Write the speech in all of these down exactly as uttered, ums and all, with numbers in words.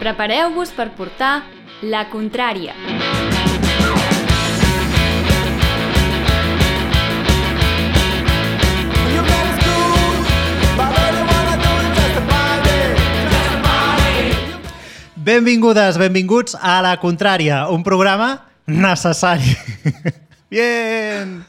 Prepareu-vos per portar La Contrària. Benvingudes, benvinguts a La Contrària, un programa necessari. Bien!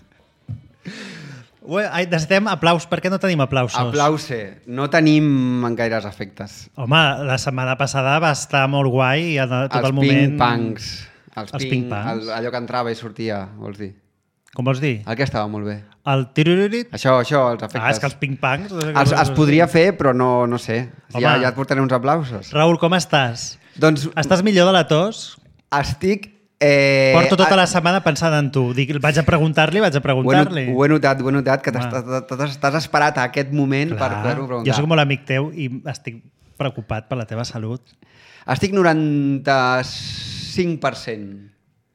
Ue, ai, necessitem aplaus. Per què no tenim aplausos? Aplause. No tenim gaires efectes. Home, la setmana passada va estar molt guai i tot els el moment... ping-pangs. Els, Els ping, ping-pangs. el, allò que entrava i sortia, vols dir? Com vols dir? El que estava molt bé. El tiruririt? Això, això, els efectes. Ah, és que els ping-pangs... Els, es podria fer, però no, no sé. Home. Ja, ja et portaré uns aplausos. Raül, com estàs? Doncs Estàs millor de la tos? estic... Eh, Porto tota a- la setmana pensant en tu. Dic, vaig a preguntar-li, vaig a Ho he, not- preguntar-li. ho he notat, ho he notat, que Home. t'has- t'has t'has esperat a aquest moment per Clar. poder-ho preguntar. Jo sóc molt amic teu i estic preocupat per la teva salut. Estic noranta-cinc per cent.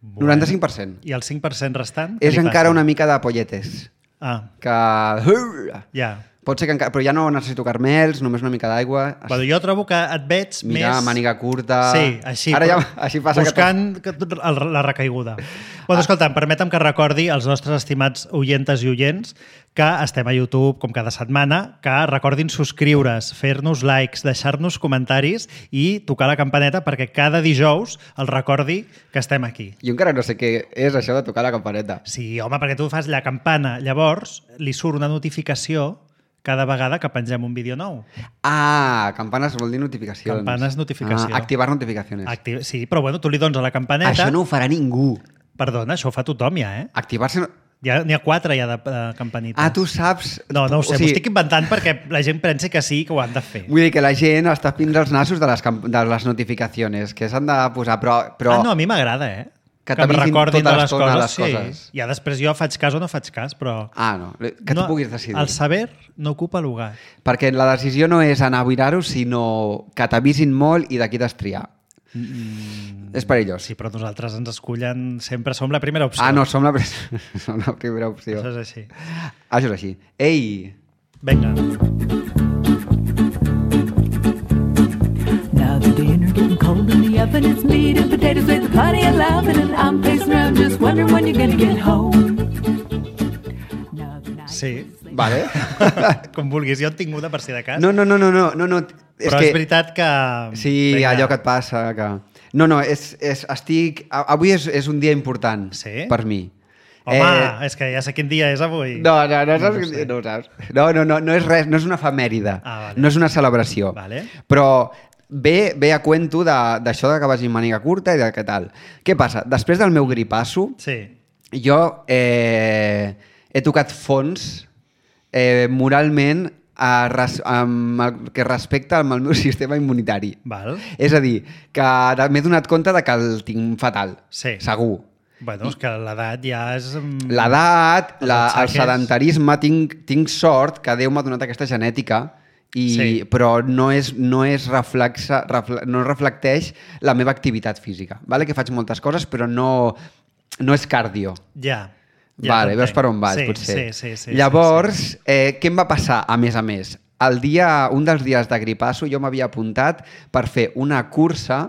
Bueno. noranta-cinc per cent. I el cinc per cent restant? És què li encara passa? una mica de polletes. Ah, Que... ja. Pot ser que encara... Però ja no necessito carmels, només una mica d'aigua. Bueno, jo trobo que et veig Mira, més... màniga curta... Sí, així. Ara ja, però així passa buscant que... el, la recaiguda. Bueno, escolta'm, permetem que recordi als nostres estimats oientes i oients que estem a YouTube, com cada setmana, que recordin subscriure's, fer-nos likes, deixar-nos comentaris i tocar la campaneta perquè cada dijous els recordi que estem aquí. que... Jo encara no sé què és això de tocar la campaneta. Sí, home, perquè tu fas la campana, llavors li surt una notificació cada vegada que pengem un vídeo nou. Ah, campanes vol dir notificacions. Campanes, notificació. Ah, activar notificacions. Acti... Sí, però bueno, tu li dones a la campaneta... Això no ho farà ningú. Perdona, això ho fa tothom ja, eh? Activar-se... no- Ja, n'hi ha quatre ja de, de campanites. Ah, tu saps... No, no ho sé, O m'ho sigui, estic inventant perquè la gent pensi que sí, que ho han de fer. Vull dir que la gent està fins als nassos de les, camp- de les notificacions, que s'han de posar, però... però... Ah, no, a mi m'agrada, eh? Que Que em t'avisin recordin tota de les l'estona coses, les sí. coses. Ja després jo faig cas o no faig cas, però... Ah, no, que no, tu puguis decidir. El saber no ocupa lugar. Perquè la decisió no és anar a mirar-ho, sinó que t'avisin molt i d'aquí t'has triar. Mm, És perillós. sí, però nosaltres ens escullen... Sempre som la primera opció. Ah, no, som la, pre- som la primera opció. Això és així. Això és així. Ei! Vinga. Now the dinner getting cold in the oven. It's meat and potatoes with plenty of laughing, and I'm pacing around just wondering when you're gonna get home. Now the night Sí. Vale. Com vulguis, jo en tinc una per si de cas. No, no, no, no, no, no, no. És però que... és veritat que... Sí, Vinga. allò que et passa, que... No, no, és, és, estic... a- Avui és, és un dia important Sí? per mi. Home, eh... és que ja sé quin dia és avui. No, no, no, No saps, ho sé. no, ho saps. No, no, no, no és res, no és una efemèride, Ah, vale. no és una celebració. Vale. Però ve, ve a cuento de- d'això de, que vagi amb màniga curta i de què tal. Què passa? Després del meu gripasso, Sí. jo eh, he tocat fons eh, moralment a res, amb el que respecta amb el meu sistema immunitari. Val. És a dir, que de- m'he donat compte de que el tinc fatal, Sí. segur. Bueno, és que l'edat ja és... mm, L'edat, Els la, el atxaques. sedentarisme, tinc, tinc sort que Déu m'ha donat aquesta genètica, i, Sí. però no és, no és reflexa, refle, no reflecteix la meva activitat física. Vale? Que faig moltes coses, però no, no és cardio. Ja. ja vale, veus t'entenc. per on vaig, sí, potser. Sí, sí, sí. Llavors, sí, sí. Eh, què em va passar, a més a més? El dia, un dels dies de gripasso jo m'havia apuntat per fer una cursa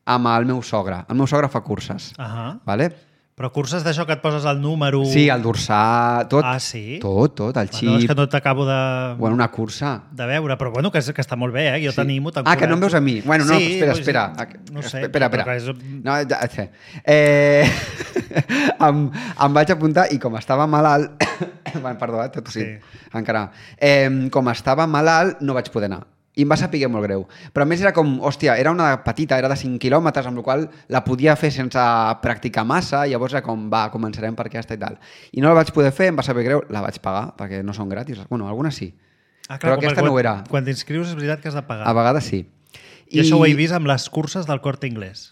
amb el meu sogre. El meu sogre fa curses. Ahà. Vale? Però curses d'això que et poses el número... Sí, el dorsà, tot. Ah, sí? Tot, tot, el Bueno, és xip. que no t'acabo de... Bueno, una cursa. de veure, però bueno, que, és, que està molt bé, eh? Jo Sí. t'animo, Ah, que no em veus a mi. Bueno, no, sí, espera, vull espera. dir, No sé. Espera, espera. però que És... No, ja, ja. Eh, em, em vaig apuntar i com estava malalt... bueno, perdó, eh, tot sí. Sí. Encara. Eh, com estava malalt, no vaig poder anar. I em va saber molt greu. Però a més era com, hòstia, era una petita, era de cinc quilòmetres, amb la qual la podia fer sense practicar massa, i llavors era com, va, començarem per aquesta i tal. I no la vaig poder fer, em va saber greu, la vaig pagar, perquè no són gratis. Bueno, algunes sí. Ah, Però com aquesta quan, no ho era. Quan t'inscrius és veritat que has de pagar. A vegades sí. I, I això ho he vist amb les curses del Corte Inglés.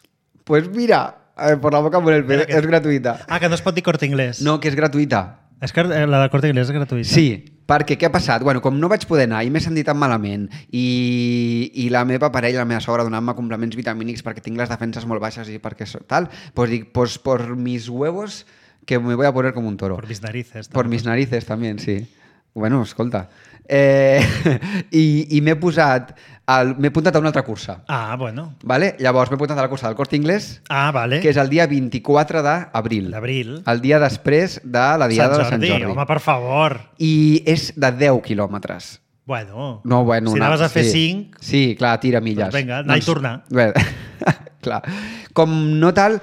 Pues mira, eh, por la boca por el pelo, Mira que- és gratuïta. Ah, que no es pot dir Corte Inglés. No, que és gratuïta. És que eh, la del Corte Inglés és gratuïta. Sí, perquè què ha passat? Bueno, com no vaig poder anar i m'he sentit tan malament i, i la meva parella, la meva sogra, donant-me complements vitamínics perquè tinc les defenses molt baixes i perquè so- tal, pues dic, pues por mis huevos que me voy a poner como un toro. Por mis narices. Por també. mis narices también, sí. Bueno, escolta. Eh, I i m'he posat... El, m'he apuntat a una altra cursa. Ah, bueno. Vale? Llavors m'he apuntat a la cursa del Corte Inglés, Ah, vale. que és el dia vint-i-quatre d'abril. D'abril. El dia després de la Diada de Sant Jordi. Home, per favor. I és de deu quilòmetres. Bueno, No, bueno, si una- anaves a fer sí. cinc, Sí, clar, tira milles. Doncs vinga, anar i tornar. Bé, clar. Com no tal,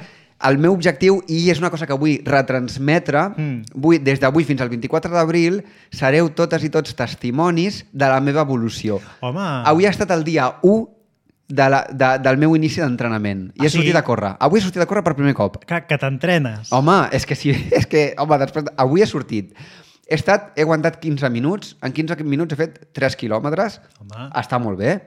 el meu objectiu, i és una cosa que vull retransmetre, Mm. vull, des d'avui fins al vint-i-quatre d'abril, sereu totes i tots testimonis de la meva evolució. home... Avui ha estat el dia u de la, de, del meu inici d'entrenament. I Ah, he sortit sí? a córrer. Avui he sortit a córrer per primer cop. Que, que t'entrenes. Home, és que sí, és que, home, després, avui he sortit. He estat, he aguantat quinze minuts, en quinze minuts he fet tres quilòmetres. Home. Està molt bé.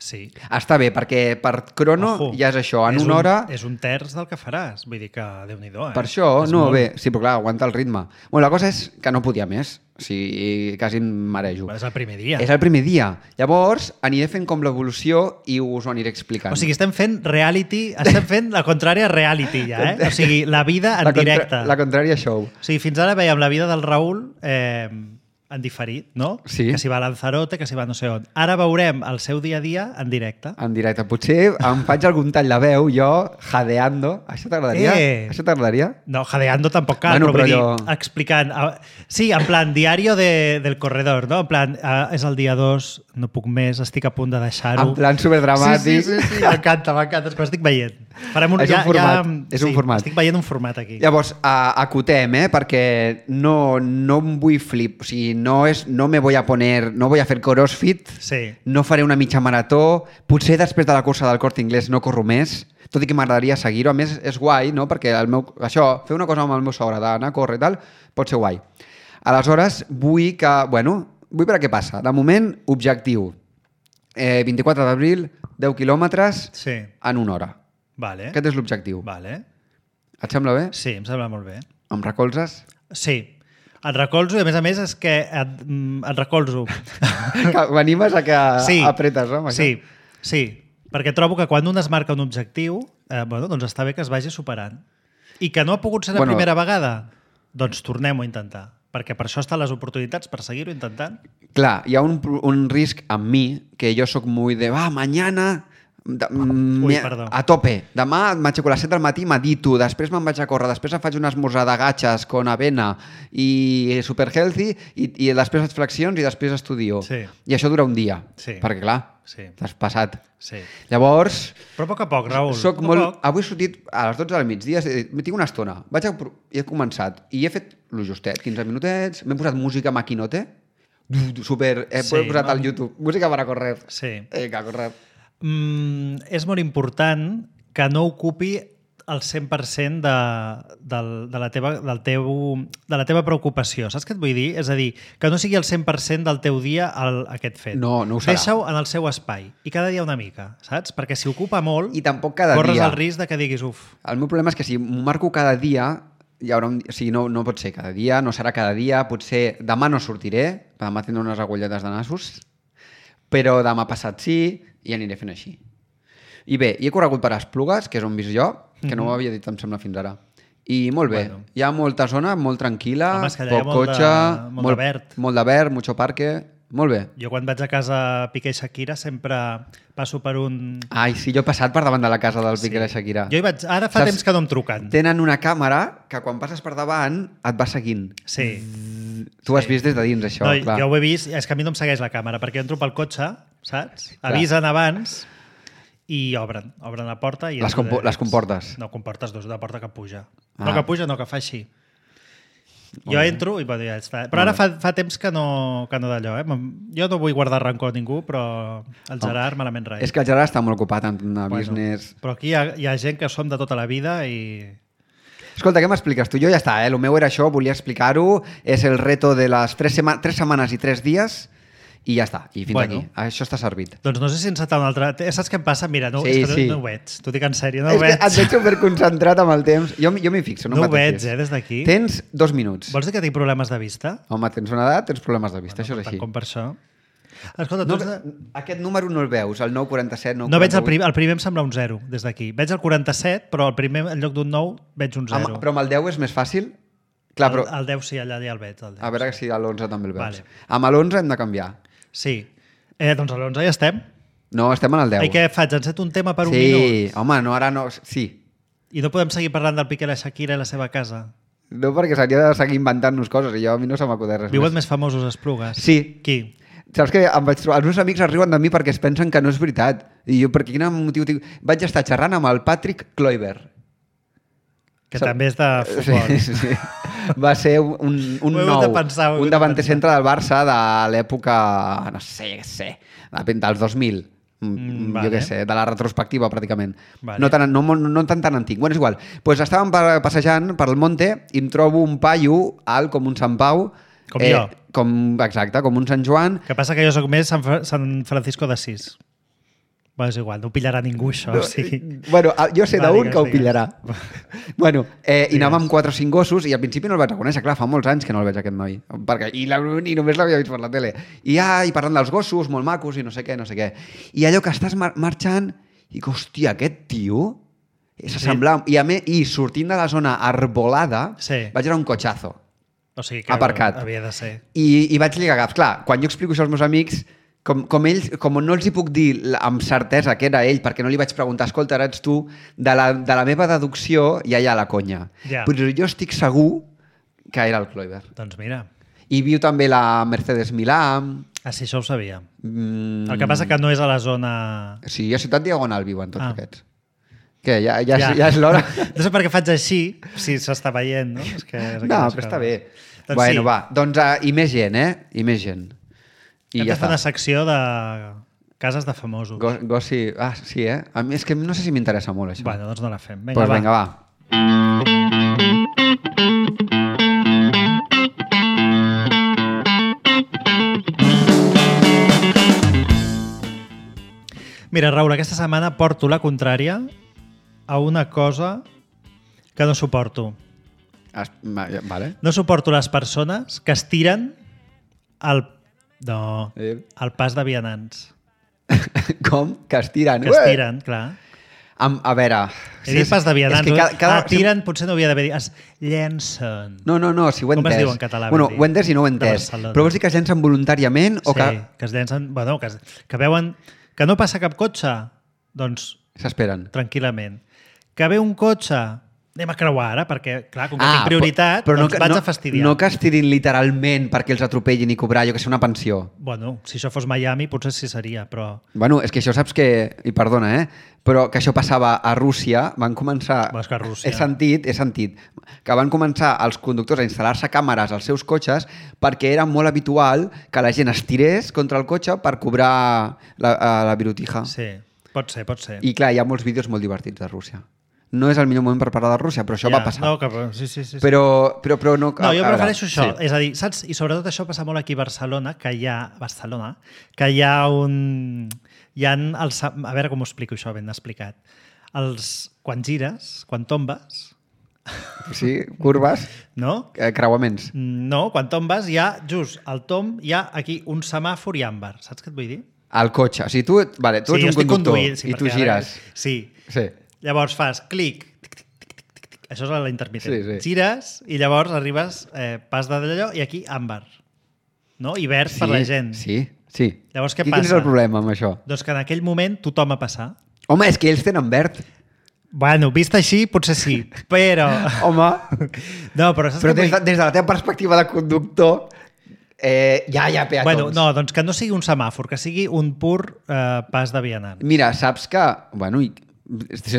Sí. Està bé, perquè per crono Ojo, ja és això, en és una un, hora... És un terç del que faràs. Vull dir que, Déu-n'hi-do, eh? Per això, És no, molt. bé, sí, però clar, aguanta el ritme. Bueno, la cosa és que no podia més, o sigui, quasi em marejo. És el primer dia. És el primer dia. Llavors, aniré fent com l'evolució i us ho aniré explicant. O sigui, estem fent reality, estem fent la contrària reality ja, eh? O sigui, la vida en la contra- directe. La contrària show. O sigui, fins ara veiem la vida del Raül eh, en diferit, no? Sí. Que si va a Lanzarote, que si va no sé on. Ara veurem el seu dia a dia en directe. En directe. Potser em faig algun tall de veu, jo, jadeando. Això t'agradaria? Eh. Això t'agradaria? No, jadeando tampoc cal, Bueno, però, vull però dir, jo- explicant... ah, Sí, en plan, diario de, del corredor, no? En plan, ah, és el dia dos, no puc més, estic a punt de deixar-ho. En plan superdramàtic. Sí, sí, sí, sí m'encanta, m'encanta, és que ho estic veient. Farem un, És un ja, format, ja, és un sí, format. Estic veient un format aquí. Llavors, a, acotem, eh? Perquè no, no em vull flip. O sigui, no, és, no me voy a poner... No voy a fer crossfit. Sí. No faré una mitja marató. Potser després de la cursa del Corte Inglés no corro més. Tot i que m'agradaria seguir-ho. A més, és guai, no? Perquè el meu, això, fer una cosa amb el meu sogre, d'anar a córrer i tal, pot ser guai. Aleshores, vull que... Bueno, vull veure què passa. De moment, objectiu. Eh, vint-i-quatre d'abril, deu quilòmetres Sí. en una hora. Vale. Aquest és l'objectiu. Vale. Et sembla bé? Sí, em sembla molt bé. Em recolzes? Sí. Et recolzo i, a més a més, és que et, mm, et recolzo. Que m'animes a que Sí. apretes, no? amb això? Sí, sí. Perquè trobo que quan un es marca un objectiu, eh, bueno, doncs està bé que es vagi superant. I que no ha pogut ser la Bueno. primera vegada, doncs tornem-ho a intentar. Perquè per això estan les oportunitats, per seguir-ho intentant. Clar, hi ha un, un risc amb mi, que jo sóc muy de, va, mañana... De, mm, Ui, me- perdó. a tope. Demà m'aixeco a les set del matí, medito, després me'n vaig a córrer, després em faig un esmorzar de gatxes con avena i super healthy i, i després faig flexions i després estudio. Sí. I això dura un dia. Sí. Perquè, clar, Sí. t'has passat. Sí. Llavors, Però a poc a poc, Raül. soc a poc molt... a poc. Avui he sortit a les dotze del migdia, he dit, tinc una estona, vaig a... pro- i he començat, i he fet lo justet, quinze minutets, m'he posat música maquinote, super... He Sí, posat al no? YouTube, música para correr. Sí. Vinga, a correr. Mm, és molt important que no ocupi el cent per cent de, del, de, la teva, del teu, de la teva preocupació. Saps què et vull dir? És a dir, que no sigui el cent per cent del teu dia el, aquest fet. No, no ho serà. Deixa-ho en el seu espai. I cada dia una mica, saps? Perquè si ocupa molt, I tampoc cada corres dia. el risc de que diguis, uf, El meu problema és que si m'ho marco cada dia, hi haurà un... o sigui, no, no pot ser cada dia, no serà cada dia, potser demà no sortiré, demà tindré unes agulletes de nassos, però demà passat sí, i aniré fent així. I bé, i he corregut per Esplugues, que és on visc jo, que no ho havia dit, em sembla, fins ara. I molt bé. Bueno. Hi ha molta zona, molt tranquil·la, Home, és que allà hi ha poc molt de- cotxe, molt de verd. molt de verd, mucho parque, molt bé. jo quan vaig a casa Piqué i Shakira sempre passo per un... Ai, sí, jo he passat per davant de la casa del Piqué i la Shakira. Jo hi vaig... Ara fa Saps- temps que no em truquen. Tenen una càmera que quan passes per davant et va seguint. Sí. Tu has vist des de dins, això, No, clar. jo ho he vist, és que a mi no em segueix la càmera, perquè entro pel cotxe, saps? Avisen abans i obren. Obren la porta i... Les entro compo- de les dins. comportes? No, comportes dos, una porta que puja. Ah. No que puja, no que fa així. Jo bé. entro i bueno, ja està. Però ara fa, fa temps que no, que no d'allò. Eh? Jo no vull guardar rancor a ningú, però el Gerard malament rai. És que el Gerard està molt ocupat en bueno, business... Però aquí hi ha, hi ha gent que som de tota la vida i... Escolta, què m'expliques tu? Jo ja està, eh? El meu era això, volia explicar-ho. És el reto de les tres, sema tres setmanes i tres dies i ja està. I fins Bueno. aquí. Això està servit. Doncs no sé si encetar un altre... Saps què em passa? Mira, no, Sí, és que sí. no, no ho veig. T'ho dic en sèrio, no és ho que veig. et veig superconcentrat amb el temps. Jo, jo m'hi fixo, no, No ho em veig, pateixis. eh, des d'aquí. Tens dos minuts. Vols dir que tinc problemes de vista? Home, tens una edat, tens problemes de vista, això és Tant així. com per això. Escolta, No, tu ets de... aquest número no el veus, el nou quaranta-set, nou No veig el quaranta-vuit. primer, el primer em sembla un zero, des d'aquí. Veig el quaranta-set, però el primer, en lloc d'un nou, veig un Amb, zero. però amb el deu és més fàcil? Clar, el, però... el deu sí, allà ja el veig. El deu, A veure sí. si a l'onze també el veus. Vale. Amb l'onze hem de canviar. Sí. Eh, doncs a l'onze ja estem. No, estem en el deu. I què faig? Enceto un tema per un sí, minut? home, no, ara no... Sí. I no podem seguir parlant del Piqué, la Shakira i la seva casa? No, perquè s'hauria de seguir inventant-nos coses i jo a mi no se m'acudeix res Viuen més. més famosos Esplugues? Sí. Qui? Saps què? Em vaig trobar... Els meus amics es riuen de mi perquè es pensen que no és veritat. I jo, per quin motiu... Tinc... Vaig estar xerrant amb el Patrick Kluivert. Que Sap- també és de futbol. Sí, sí. Va ser un, un, un Ho he hagut nou, de pensar, ho he hagut un de davanter pensar. centre del Barça de l'època, no sé, què sé, dels dos mil. Mm, Mm, vale. jo què sé, de la retrospectiva pràcticament. Vale. No, tan, no, no, no tan tan antic. Bueno, és igual. Pues estàvem pa- passejant per el monte i em trobo un paio alt com un Sant Pau. Com jo. Com, exacte, com un Sant Joan. Que passa que jo sóc més Sant, Fra- Sant Francisco d'Assís. Bueno, és igual, no ho pillarà ningú, això. No, O sigui... Bueno, jo sé Va, d'un digues, que ho digues. pillarà. Bueno, eh, i Digues. anàvem amb quatre o cinc gossos i al principi no el vaig reconèixer. Clar, fa molts anys que no el veig, aquest noi. Perquè, i, la, I només l'havia vist per la tele. I, ah, i parlant dels gossos, molt macos i no sé què, no sé què. I allò que estàs mar marxant i que, hòstia, aquest tio s'assemblava... I, a me, I sortint de la zona arbolada, Sí. vaig veure un cotxazo. O sigui que Aparcat. havia de ser. I, i vaig lligar gaps. Clar, quan jo explico això als meus amics, com, com, ells, com no els hi puc dir la- amb certesa que era ell, perquè no li vaig preguntar, escolta, ara ets tu, de la, de la meva deducció ja hi ha la conya. Ja. Però jo estic segur que era el Kluivert. Doncs mira, I viu també la Mercedes Milà. ah, sí, això ho sabia. Mm, El que passa que no és a la zona... Sí, a Ciutat Diagonal viuen tots Ah. aquests. Què, ja, ja, ja. ja és l'hora? No sé per què faig així, si s'està veient, no? És que és No, aquelles però està coses. bé. Doncs bueno, sí. va, doncs, uh, i més gent, eh? I més gent. I Hem ja de fer està. una secció de cases de famosos. Go, gossi... Ah, sí, eh? A mi és que no sé si m'interessa molt, això. Bueno, doncs no la fem. Doncs Vinga, pues vinga, va. Mira, Raül, aquesta setmana porto la contrària a una cosa que no suporto. Es, ma- ja, vale. No suporto les persones que es tiren al, no, Eh. al pas de vianants. Com? Que es tiren. Que es tiren, clar. Am, a veure... He dit pas de vianants. És que cada, cada... Ah, tiren, potser no havia d'haver dit. Es llencen. No, no, no, si ho he Com es entès. diu en català, Bueno, ben dit? ho he entès i no ho he De entès. Barcelona. Però vols dir que es llencen voluntàriament o Sí, que que es llencen... Bueno, que, es, que veuen que no passa cap cotxe, doncs s'esperen? tranquil·lament. Que ve un cotxe, anem a creuar ara, perquè, clar, com que Ah, tinc prioritat, però, però doncs no, vaig no, a fastidiar. No que es tirin literalment perquè els atropellin i cobrar, jo que sé, una pensió. Bueno, si això fos Miami, potser sí seria, però... Bueno, és que això saps que... I perdona, eh? Però que això passava a Rússia, van començar... Bueno, és que a Rússia- He sentit, he sentit, que van començar els conductors a instal·lar-se càmeres als seus cotxes perquè era molt habitual que la gent es tirés contra el cotxe per cobrar la, eh, la virutija. Sí, pot ser, pot ser. I clar, hi ha molts vídeos molt divertits de Rússia. No és el millor moment per parlar de Rússia, però això Ja, va passar. No, que, sí, sí, sí, sí. Però, però, però no... No, jo a veure, prefereixo això. sí. És a dir, saps? I sobretot això passa molt aquí a Barcelona, que hi ha... Barcelona, que hi ha un... Hi ha els... A veure com ho explico això ben explicat. Els... Quan gires, quan tombes, Sí, curves, no? eh, creuaments. No, quan tombes hi ha, just al tomb, hi ha aquí un semàfor i àmbar. Saps què et vull dir? Al cotxe. O sigui, tu, vale, tu sí, ets jo un estic conductor conduint, sí, i tu perquè gires. Ara, sí. Sí. Llavors fas clic, tic, tic, tic, tic, tic, tic. Això és la intermitent. Sí, sí. Gires i llavors arribes, eh, pas d'allò i aquí àmbar. No? I verd Sí, per la gent. Sí, sí. Llavors, què I quin és passa? el problema amb això? Doncs que en aquell moment tothom a passar. Home, és que ells tenen verd. Bueno, vist així, potser sí, però... Home, No, però saps però què des de, vull- des de la teva perspectiva de conductor, eh, ja hi ha peatons. Bueno, no, doncs que no sigui un semàfor, que sigui un pur eh, pas de vianant. Mira, saps que... Bueno, i,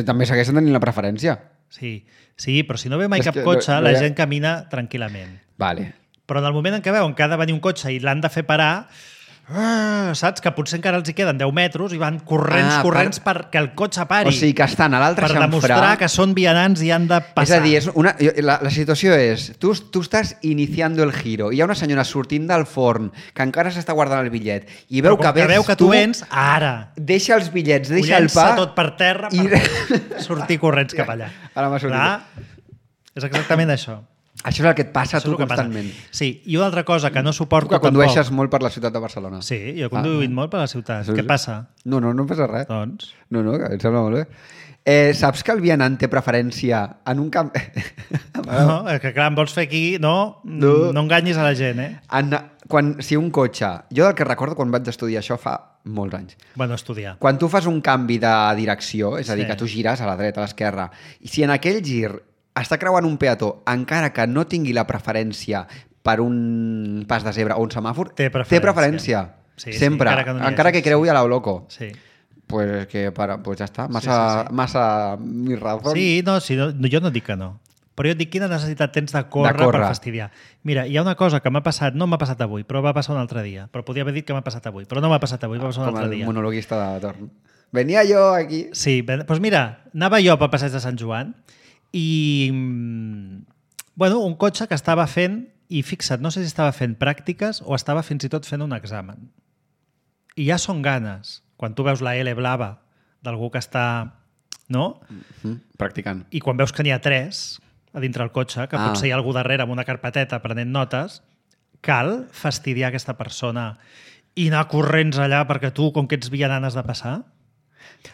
també segueixen tenint la preferència. Sí, sí, però si no ve mai És cap que cotxe, no- no la hi ha- gent camina tranquil·lament. Vale. Però en el moment en què veuen que ha de venir un cotxe i l'han de fer parar, ah, saps? Que potser encara els hi queden deu metres i van corrents, Ah, per- corrents per... perquè el cotxe pari. O sigui que estan a l'altre per xamfrà. demostrar que són vianants i han de passar. És a dir, és una, la, la situació és, tu, tu estàs iniciando el giro, i hi ha una senyora sortint del forn que encara s'està guardant el bitllet i veu Però com que, que vens veu que tu vens, ara. deixa els bitllets, Ho deixa el llença pa... tot per terra i- per sortir corrents cap allà. Ara m'ha sortit. Clar, és exactament això. Això és el que et passa a Això és tu el que passa. constantment. Sí, i una altra cosa que no suporto Tu que condueixes tampoc... molt per la ciutat de Barcelona. Sí, jo he conduït Ah. molt per la ciutat. Sí, Què sí. passa? No, no, no passa res. Doncs... No, no, que em sembla molt bé. Eh, saps que el vianant té preferència en un camp... No, és que clar, em vols fer aquí... No, No. no, no enganyis a la gent, eh? en, quan, si un cotxe... Jo del que recordo quan vaig estudiar això fa molts anys. Bueno, estudiar. Quan tu fas un canvi de direcció, és a dir, Sí. que tu gires a la dreta, a l'esquerra, i si en aquell gir està creuant un peató, encara que no tingui la preferència per un pas de zebra o un semàfor, Té preferència. té preferència. Sí, sí, Sempre. encara que no n'hi encara hagi, que creui a lo loco. Sí. Pues que para, pues ja està. Massa, Sí, sí, sí. massa mi razón. Sí, no, sí, no, jo no dic que no. Però jo et dic quina necessitat tens de córrer, De córrer. per fastidiar. Mira, hi ha una cosa que m'ha passat, no m'ha passat avui, però va passar un altre dia. Però podia haver dit que m'ha passat avui, però no m'ha passat avui, va passar un Com altre el dia. monologuista de torn. Venia jo aquí... Sí, ben- doncs mira, anava jo pel passeig de Sant Joan i, mm, bueno, un cotxe que estava fent, i fixa't, no sé si estava fent pràctiques o estava fins i tot fent un examen. I ja són ganes, quan tu veus la L blava d'algú que està... No? Mm, practicant. I quan veus que n'hi ha tres a dintre el cotxe, que Ah. potser hi ha algú darrere amb una carpeteta prenent notes, cal fastidiar aquesta persona i anar corrents allà perquè tu, com que ets vianant, has de passar?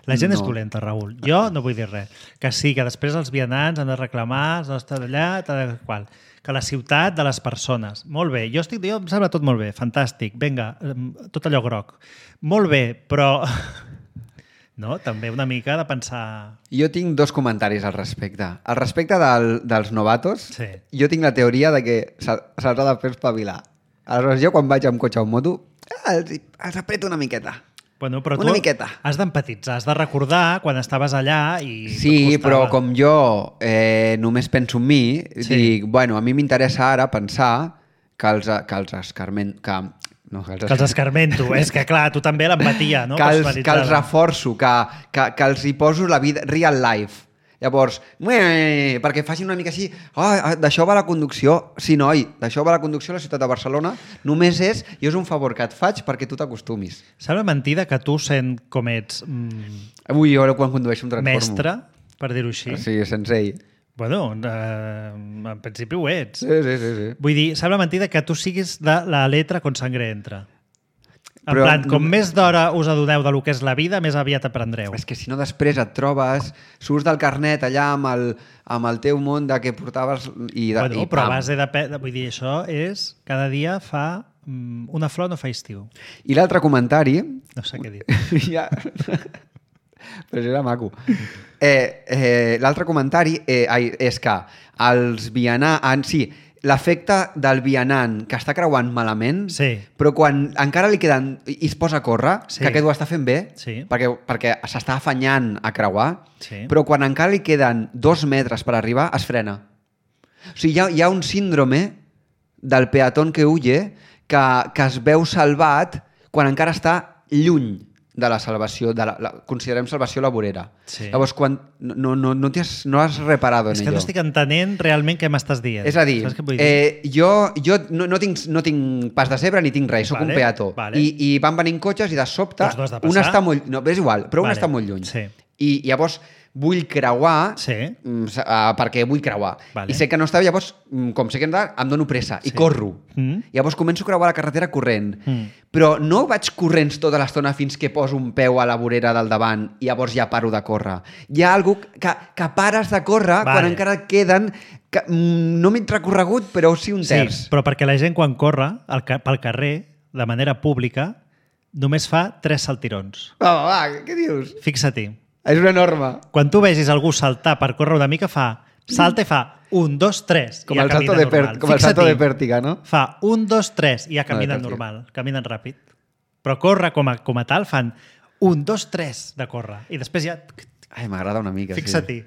La gent no. és No. dolenta, Raül. Jo no vull dir res. Que sí, que després els vianants han de reclamar, no està d'allà, tal i qual. Que la ciutat de les persones. Molt bé, jo estic, jo em sembla tot molt bé, fantàstic, vinga, em, tot allò groc. Molt bé, però... No? També una mica de pensar... Jo tinc dos comentaris al respecte. Al respecte del, dels novatos, Sí. jo tinc la teoria de que se- se'ls ha de fer espavilar. Aleshores, jo quan vaig amb cotxe o amb moto, ah, els, els apreto una miqueta. Bueno, però Una tu miqueta. has d'empatitzar, has de recordar quan estaves allà i... Sí, tot però costava. com jo eh, només penso en mi, Sí. dic, bueno, a mi m'interessa ara pensar que els, que els escarment... Que, no, que els, Que els escarmento. És que, clar, tu també l'empatia, no? que, els, que Personalitzada. els reforço, que, que, que els hi poso la vida real life. Llavors, ué, perquè facin una mica així, oh, d'això va la conducció. Sí, noi, d'això va la conducció a la ciutat de Barcelona. Només és, i és un favor que et faig perquè tu t'acostumis. Sembla mentida que tu, sent com ets mm, Avui jo quan condueixo em transformo. mestre, per dir-ho així, Sí, sensei. bueno, eh, en principi ho ets. Sí, sí, sí. sí. Vull dir, sembla mentida que tu siguis de la letra con sangre entra. En Però plan, com no- més d'hora us adoneu de lo que és la vida, més aviat aprendreu. És que si no després et trobes, surts del carnet allà amb el, amb el teu món de que portaves i... De, Bueno, i però a pam. base de... pe- Vull dir, això és... Cada dia fa... mm, Una flor no fa estiu. I l'altre comentari... No sé què dir. ja... Però això era maco. Eh, eh, l'altre comentari eh, ai, és que els vianants... Sí, l'efecte del vianant que està creuant malament, Sí. però quan encara li queden... i es posa a córrer, Sí. que aquest ho està fent bé, Sí. perquè, perquè s'està afanyant a creuar, Sí. però quan encara li queden dos metres per arribar, es frena. O sigui, hi ha, hi ha un síndrome del peatón que huye que, que es veu salvat quan encara està lluny de la salvació, de la, la, considerem salvació laborera. Sí. Llavors, quan no, no, no, has, no has reparado en És que ello. no estic entenent realment què m'estàs dient. És a dir, Saps què vull dir? eh, jo, jo no, no, tinc, no tinc pas de zebra ni tinc res, sóc Vale, un peató. vale. I, I van venint cotxes i de sobte Doncs no has de un passar. està molt... No, és igual, però un Vale, està molt lluny. sí. I llavors vull creuar Sí. mm, s- uh, perquè vull creuar. Vale. I sé que no està bé, llavors, mm, com sé que hem de, em dono pressa i corro. Mm. Llavors començo a creuar la carretera corrent. Mm. Però no vaig corrents tota l'estona fins que poso un peu a la vorera del davant i llavors ja paro de córrer. Hi ha algú que, que pares de córrer Vale. quan encara et queden que, mm, no mig recorregut, però sí un terç. Sí, però perquè la gent quan corre al ca- pel carrer, de manera pública, només fa tres saltirons. Va, va, què dius? Fixa-t'hi. És una norma. Quan tu vegis algú saltar per córrer una mica, fa salta i fa un, dos, tres, Com i ja el salto camina de, normal. per, com el salto Fixa-t'hi. de pèrtiga, no? Fa un, dos, tres, i ja No, caminen de pèrtiga. normal, caminen ràpid. Però córrer com a, com a tal fan un, dos, tres de córrer. I després ja... Ai, m'agrada una mica, Fixa-t'hi.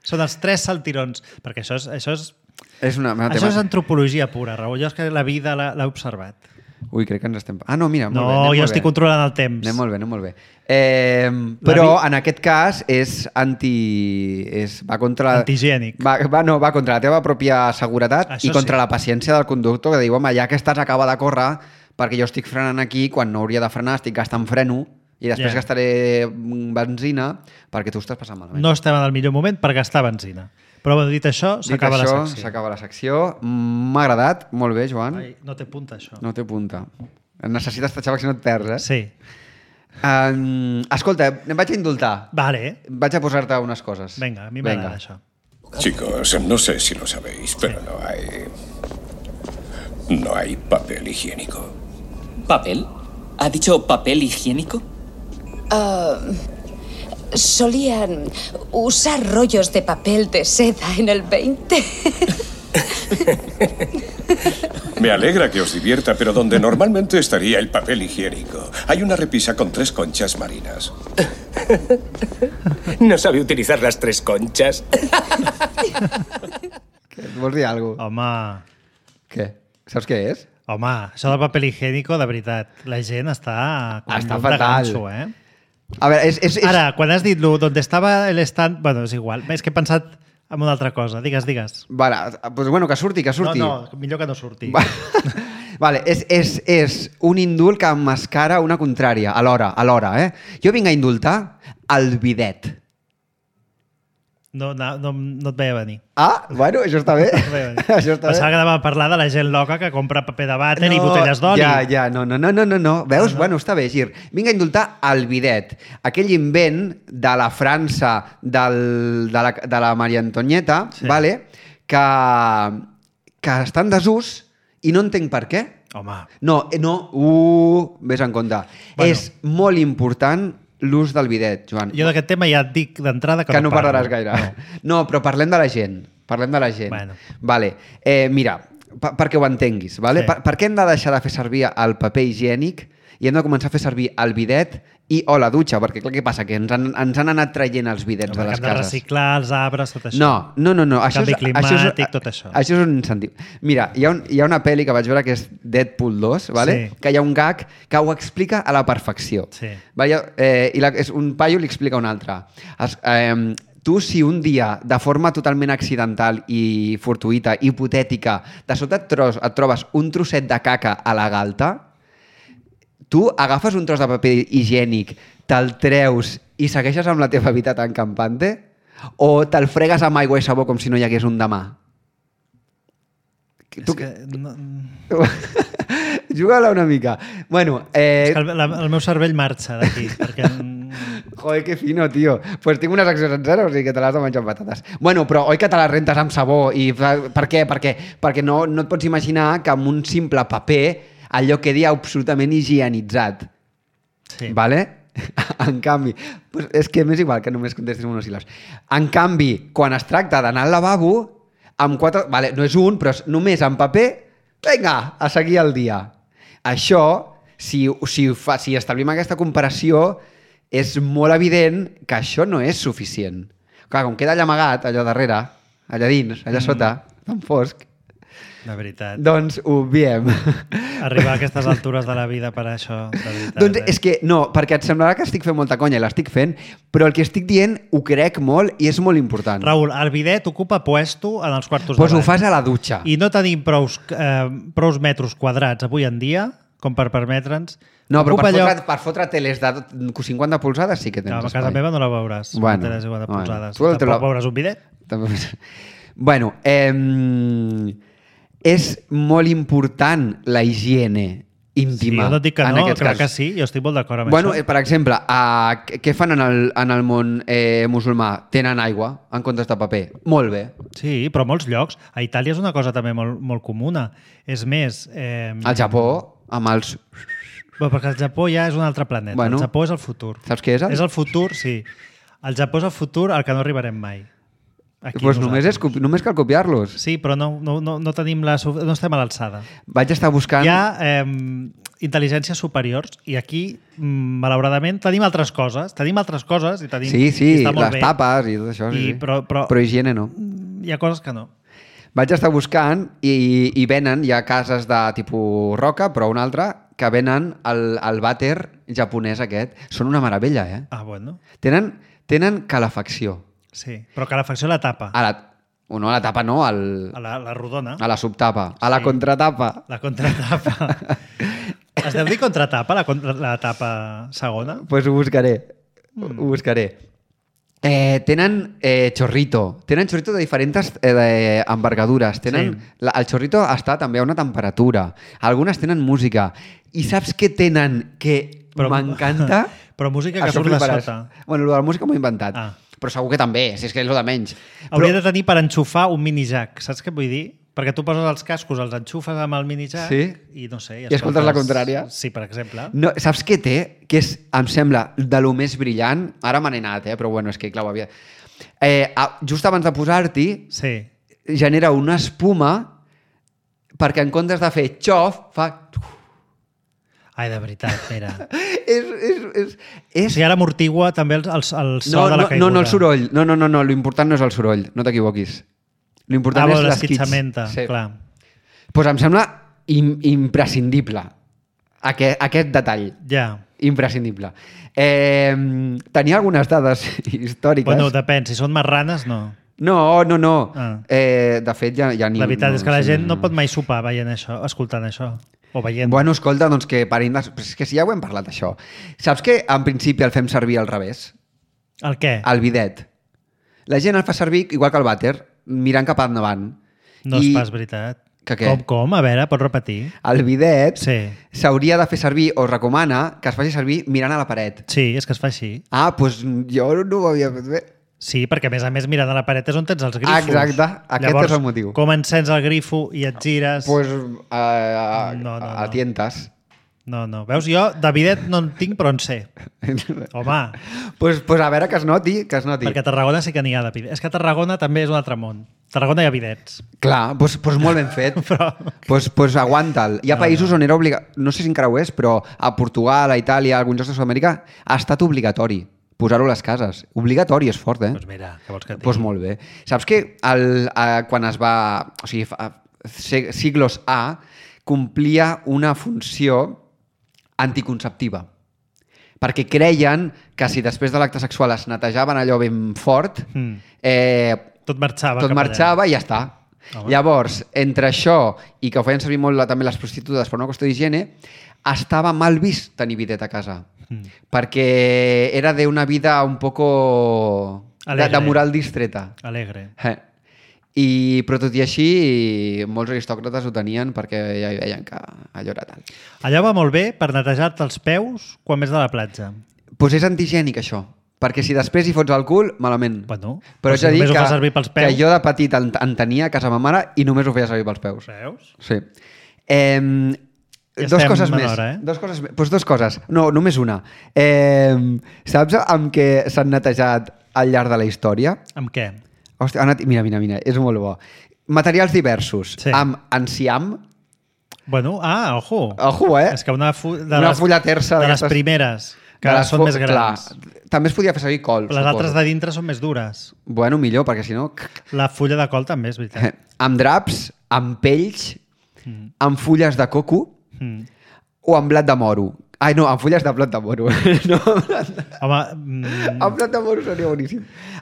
Són els tres saltirons. Perquè això és, això és, sí. És una... una això és antropologia pura, Raül. Jo és que la vida l'ha l'ha observat. Ui, crec que ens estem... Ah, no, mira, molt No, bé. anem jo molt estic bé. controlant el temps. Anem molt bé, anem molt bé. Eh, però vi- en aquest cas és anti... És, va contra... Antihigiènic. Va, va, no, va contra la teva pròpia seguretat Això i contra sí. la paciència del conductor que diu, home, ja que estàs acaba de córrer perquè jo estic frenant aquí quan no hauria de frenar, estic gastant freno i després Ja. gastaré mm, benzina perquè tu estàs passant malament. No estem en el millor moment per gastar benzina. Però bueno, dit això, Dit s'acaba la això, secció. s'acaba la secció. M'ha agradat, molt bé, Joan. Ai, no té punta, això. No té punta. Necessites tatxar perquè si no et perds, eh? Sí. Um, escolta, em vaig a indultar. Vale. Vaig a posar-te unes coses. Venga, a mi Venga. m'agrada això. Chicos, no sé si lo sabéis, pero no hay... No hay papel higiénico. ¿Papel? ¿Ha dicho papel higiénico? Solían usar rollos de papel de seda en el veinte. Me alegra que os divierta, pero donde normalmente estaría el papel higiénico, hay una repisa con tres conchas marinas. No sabe utilizar las tres conchas. Què, vols dir alguna cosa? Home, Què? Saps què és? home, això del paper higiénico, de veritat, la gent està com Està llum de fatal. ganxo, eh? A veure, és... és, és... Ara, quan has dit lo, d'on estava el stand... Bueno, és igual. És que he pensat en una altra cosa. Digues, digues. Vale, pues bueno, que surti, que surti. No, no, millor que no surti. Va- Vale, és, és, és un indult que emmascara una contrària, alhora, alhora, eh? Jo vinc a indultar el bidet. No, no, no, no et veia venir. Ah, bueno, això està bé. No et veia venir. Això està Pensava bé. que anàvem a parlar de la gent loca que compra paper de vàter i botelles d'oli. Ja, ja, no, no, no, no, no, no. Veus? Ah, no. Bueno, està bé, Gir. Vinc a indultar el bidet. Aquell invent de la França del, de, la, de la Maria Antonieta, Sí. vale? que, que està en desús i no entenc per què. Home, No, eh, no, uh, vés en compte. Bueno. És molt important l'ús del bidet, Joan. jo d'aquest tema ja et dic d'entrada que, que no parlo. parlaràs gaire. No. no, però parlem de la gent. Parlem de la gent. Bueno. Vale. Eh, mira, pa perquè ho entenguis, vale? Sí. Per, per què hem de deixar de fer servir el paper higiènic i hem de començar a fer servir el bidet i o la dutxa? Perquè clar, què passa? Que ens han, ens han anat traient els bidets Home, de les que hem de cases. reciclar els arbres, tot això. No, no, no, no. Això Canvi és, això és, climàtic, tot això. Això és un incentiu. Mira, hi ha, un, hi ha una pel·li que vaig veure que és Deadpool dos, vale? Sí. Que hi ha un gag que ho explica a la perfecció. Sí. Vale? Eh, I la, és un paio li explica un altre. Es, eh, tu, si un dia, de forma totalment accidental i fortuïta, hipotètica, de sota et, tros, et trobes un trosset de caca a la galta, tu agafes un tros de paper higiènic, te'l treus i segueixes amb la teva vida tan campante? O te'l fregues amb aigua i sabó com si no hi hagués un demà? És Tu... que, no, Juga-la una mica. Bueno, eh... és que el, la, el meu cervell marxa d'aquí, perquè... Joder, que fino, tio. Pues tinc una secció sencera, o sigui que te l'has de menjar amb patates. Bueno, però oi que te les rentes amb sabó? I per què? Perquè, perquè no, no et pots imaginar que amb un simple paper allò quedi absolutament higienitzat. Sí. Vale? En canvi, pues és que m'és igual que només contestis monosíl·labs. En canvi, quan es tracta d'anar al lavabo, amb quatre... Vale, no és un, però és només en paper, vinga, a seguir el dia. Això, si, si, fa, si establim aquesta comparació, és molt evident que això no és suficient. Clar, com queda allà amagat, allà darrere, allà dins, allà Mm. sota, tan fosc, De veritat. doncs ho obviem. Arribar a aquestes altures de la vida per això, de veritat. Doncs eh? és que, no, perquè et semblarà que estic fent molta conya i l'estic fent, però el que estic dient ho crec molt i és molt important. Raül, el bidet ocupa puesto en els quartos Doncs de ho bany. fas a la dutxa. I no tenim prous, eh, prous metres quadrats avui en dia com per permetre'ns... No, però per Ocupa fotre, lloc- per fotre teles de cinquanta polzades sí que tens No, a espai. casa meva no la veuràs. Bueno, no tens igual de bueno. polzades. Tu el- te Tampoc la- veuràs un bidet. També... Bueno, eh, és molt important la higiene Sí, íntima. jo no et dic que en no, aquests crec casos. que sí, jo estic molt d'acord amb Bueno, eh, això. per exemple, uh, què fan en el, en el món eh, musulmà? Tenen aigua en comptes de paper. Molt bé. Sí, però a molts llocs. A Itàlia és una cosa també molt, molt comuna. És més... Eh, Al Japó, amb els... Bueno, perquè el Japó ja és un altre planeta. Bueno. El Japó és el futur. Saps què és? El... És el futur, sí. El Japó és el futur al que no arribarem mai. Aquí pues només, és, nosaltres. copi- només cal copiar-los. Sí, però no, no, no, no, tenim la, su- no estem a l'alçada. Vaig estar buscant... Hi ha eh, intel·ligències superiors i aquí, mm, malauradament, tenim altres coses. Tenim altres coses i tenim... Sí, sí, i està molt les bé. tapes i tot això. Sí, I, sí. però, però, però higiene no. hi ha coses que no. Vaig estar buscant i, i venen, hi ha cases de tipus roca, però una altra, que venen el, el vàter japonès aquest. Són una meravella, eh? Ah, bueno. Tenen, tenen calefacció. Sí, però calefacció a la tapa. A la, o no a la tapa, no, al, A la, la rodona. a la subtapa, a la Sí. contratapa. La contratapa. Es deu dir contratapa, la, contra, la tapa segona? Doncs pues ho buscaré. Mm. Ho buscaré. Eh, tenen eh, chorrito. Tenen chorrito de diferents eh, de envergadures. Tenen, Sí. la, el chorrito està també a una temperatura. Algunes tenen música. I saps què tenen que Però- m'encanta? Però música que Això surt de fliparàs. sota. Bueno, lo de la música m'ho he inventat. Ah. Però segur que també, si és que és el de menys. Hauria Però, de tenir per enxufar un mini jack, saps què vull dir? Perquè tu poses els cascos, els enxufes amb el mini jack Sí. i no sé... I escoltes la contrària. Sí, per exemple. no, saps què té? Que és, em sembla, de lo més brillant. Ara me n'he anat, eh? Però bueno, és que clar, ho havia... Eh, a- just abans de posar-t'hi, Sí. genera una espuma perquè en comptes de fer xof, fa... Ai, de veritat, mira. És, és, és, O és... sigui, ara amortigua també el, el, el so No, de la no, caiguda. no, no el soroll. No, no, no, no. L'important no és el soroll. No t'equivoquis. L'important Ah, és bo, l'esquitx. l'esquitxamenta, Sí. clar. Pues em sembla im imprescindible aquest, aquest detall. Ja. Imprescindible. Eh, tenia algunes dades històriques. Bueno, depèn. Si són marranes, no. No, no, no. Ah. Eh, de fet, ja, ja ni... La veritat no, és que la sí, gent no pot mai sopar veient això, escoltant això. O veient. Bueno, escolta, doncs que parin de... Però és que si ja ho hem parlat, això. Saps que en principi el fem servir al revés? El què? El bidet. La gent el fa servir igual que el vàter, mirant cap endavant. No és I pas veritat. Que què? Com, com? A veure, pots repetir? El bidet Sí. s'hauria de fer servir, o es recomana, que es faci servir mirant a la paret. Sí, és que es fa així. Ah, doncs jo no ho havia fet bé. Sí, perquè a més a més mirant a la paret és on tens els grifos. Exacte, aquest Llavors, és el motiu. Com encens el grifo i et gires... Pues, uh, No, no, a no. tientes. No, no. Veus, jo de bidet no en tinc, però en sé. Home, pues, pues a veure que es noti, que es noti. perquè a Tarragona sí que n'hi ha de bidet. És que a Tarragona també és un altre món. A Tarragona hi ha bidets. Clar, doncs, doncs molt ben fet. Però... pues, pues aguanta'l. Hi ha països on era obligat... No sé si encara ho és, però a Portugal, a Itàlia, a alguns llocs de Sud-amèrica, ha estat obligatori posar-ho a les cases. Obligatori, és fort, eh? Doncs mira, què vols que et digui? Doncs molt bé. Saps que el, eh, quan es va... O sigui, fa, se- siglos A complia una funció anticonceptiva. Perquè creien que si després de l'acte sexual es netejaven allò ben fort, Mm. eh, Tot marxava tot cap allà. marxava i ja està. Home. Llavors, entre això i que ho feien servir molt la- també les prostitutes per una qüestió d'higiene, estava mal vist tenir bidet a casa. Mm. Perquè era d'una vida un poco de, Alegre. de moral distreta. Alegre. Eh. I, però tot i així, molts aristòcrates ho tenien perquè ja hi veien que allò era tal. Allò va molt bé per netejar-te els peus quan vés de la platja. Doncs pues és antigènic, això. Perquè si després hi fots el cul, malament. Bueno, però però haig si de dir només ho que, fa servir pels peus. que jo de petit en, en tenia a casa ma mare i només ho feia servir pels peus. Veus? Sí. Eh, Ja dos estem coses en més. hora, eh? Dos coses més. Pues dos coses. No, només una. Eh, saps amb què s'han netejat al llarg de la història? Amb què? Hòstia, ha anat... mira, mira, mira, és molt bo. Materials diversos. Sí. Amb enciam. Bueno, ah, ojo. Ojo, eh? És que una, fu de Una les, fulla terça de les d'aquestes- primeres, que de les són fo- més grans. Clar, també es podia fer servir col, Les suposo. altres de dintre són més dures. Bueno, millor, perquè si no... La fulla de col també, és veritat. Amb draps, amb pells, Mm. amb fulles de coco Mm. o amb blat de moro. Ai, no, amb fulles de blat de moro. no, amb blat de... Home, mm, Amb blat de moro seria boníssim.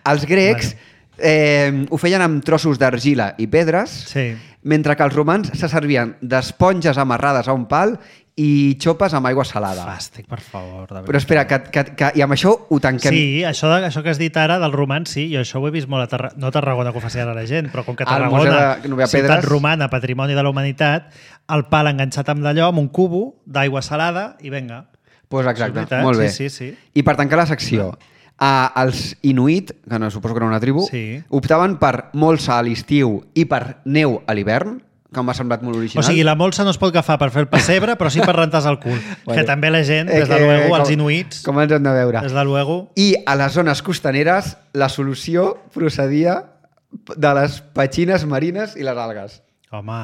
Els grecs eh, ho feien amb trossos d'argila i pedres, sí. mentre que els romans se servien d'esponges amarrades a un pal i xopes amb aigua salada. Fàstic, per favor. De Però espera, que, que, que, i amb això ho tanquem. Sí, això, de, això que has dit ara del romans, sí, jo això ho he vist molt a Tarragona, no a Tarragona que ho faci ara la gent, però com que Al Museu Tarragona, de Núvia ciutat Pedres. romana, patrimoni de la humanitat, el pal enganxat amb d'allò, amb un cubo d'aigua salada i venga. Pues Això és exacte, veritat, molt bé. sí, sí, sí. I per tancar la secció, uh, els inuit, que no suposo que era una tribu, Sí. optaven per molsa a l'estiu i per neu a l'hivern, que m'ha semblat molt original. O sigui, la molsa no es pot agafar per fer el pessebre, però sí per rentar-se el cul. Bueno. Que també la gent, Eh, des de que- luego, els com- inuits, Com ens hem de veure. des de luego... I a les zones costaneres, la solució procedia de les petxines marines i les algues. Home...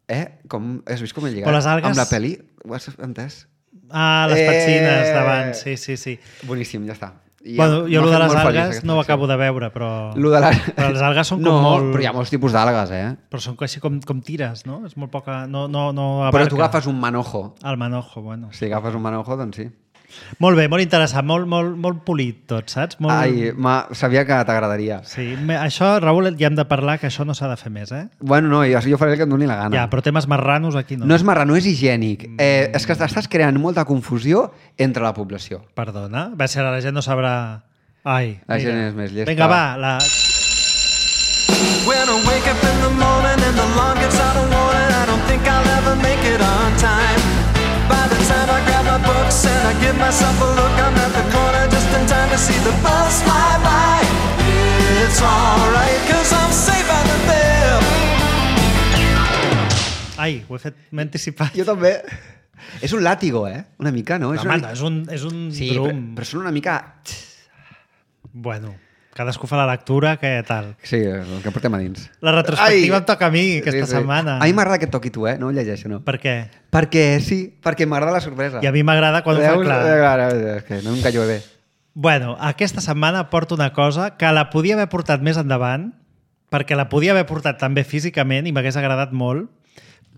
Eh? Com, has vist com he lligat? Però les algues- Amb la peli? Ho has entès? Ah, les Eh! petxines d'abans, sí, sí, sí. Boníssim, ja està. I Bueno, ja jo m'ha el de fet les molt feliç algues aquesta no ho secció. acabo de veure, però... Lo de la... Però les algues són com no, molt... però hi ha molts tipus d'algues, eh? Però són quasi com, com tires, no? És molt poca... No, no, no Però abarca. tu agafes un manojo. El manojo, bueno. Si agafes un manojo, doncs sí. Molt bé, molt interessant, molt, molt, molt polit tot, saps? Molt... Ai, ma, sabia que t'agradaria. Sí, me- això, Raül, ja hem de parlar que això no s'ha de fer més, eh? Bueno, no, jo, jo faré el que em doni la gana. Ja, però temes marranos aquí no. No és marrano, és higiènic. Eh, és que estàs creant molta confusió entre la població. Perdona, va ser ara la gent no sabrà... Ai, La gent mira. és més llesta. Vinga, va, la... When I wake up in the morning and the alarm gets out of warning, I don't think I'll ever make it on time. By the time I grab my books and I give myself a look, I'm at the corner just in time to see the bus fly by. It's alright, cause I'm safe out of there. Ai, ho he fet, m'he anticipat. Jo també. És un làtigo, eh? Una mica, no? És Home, una... és un, és un Sí, però, drum. però són una mica... Bueno, cadascú fa la lectura, que tal. Sí, el que portem a dins. La retrospectiva Ai! em toca a mi aquesta Sí, sí. setmana. A mi m'agrada que et toqui tu, eh? No ho llegeixo, no. Per què? Perquè sí, perquè m'agrada la sorpresa. I a mi m'agrada quan ho fa Veus? clar. Eh, clar, és que no em callo bé. Bueno, aquesta setmana porto una cosa que la podia haver portat més endavant, perquè la podia haver portat també físicament i m'hagués agradat molt,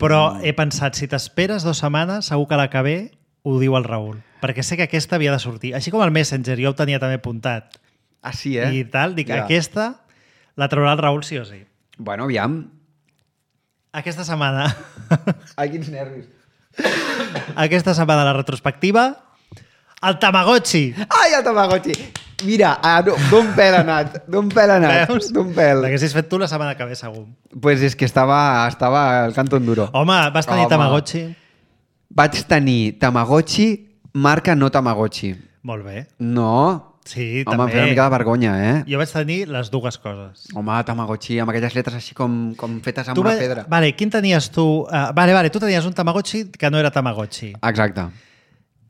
però he pensat, si t'esperes dues setmanes, segur que la que ve ho diu el Raül. Perquè sé que aquesta havia de sortir. Així com el Messenger, jo ho tenia també apuntat. Ah, sí, eh? I tal, dic, Ja. aquesta la traurà el Raül sí o sí. Bueno, aviam. Aquesta setmana, Ai, quins nervis. aquesta setmana la retrospectiva, el Tamagotchi. Ai, el Tamagotchi! Mira, ah, no, d'un pèl ha anat, d'un pèl ha anat, Veus? d'un pèl. L'haguessis fet tu la setmana que ve, segur. Pues és que estava, estava al canto enduro. Home, vas tenir Home. Tamagotchi? Vaig tenir Tamagotchi, marca no Tamagotchi. Molt bé. No. Sí, Home, també. em feia una mica de vergonya, eh? Jo vaig tenir les dues coses. Home, Tamagotchi, amb aquelles lletres així com, com fetes amb Tu una va- pedra. Vale, quin tenies tu? Uh, vale, vale, tu tenies un Tamagotchi que no era Tamagotchi. Exacte.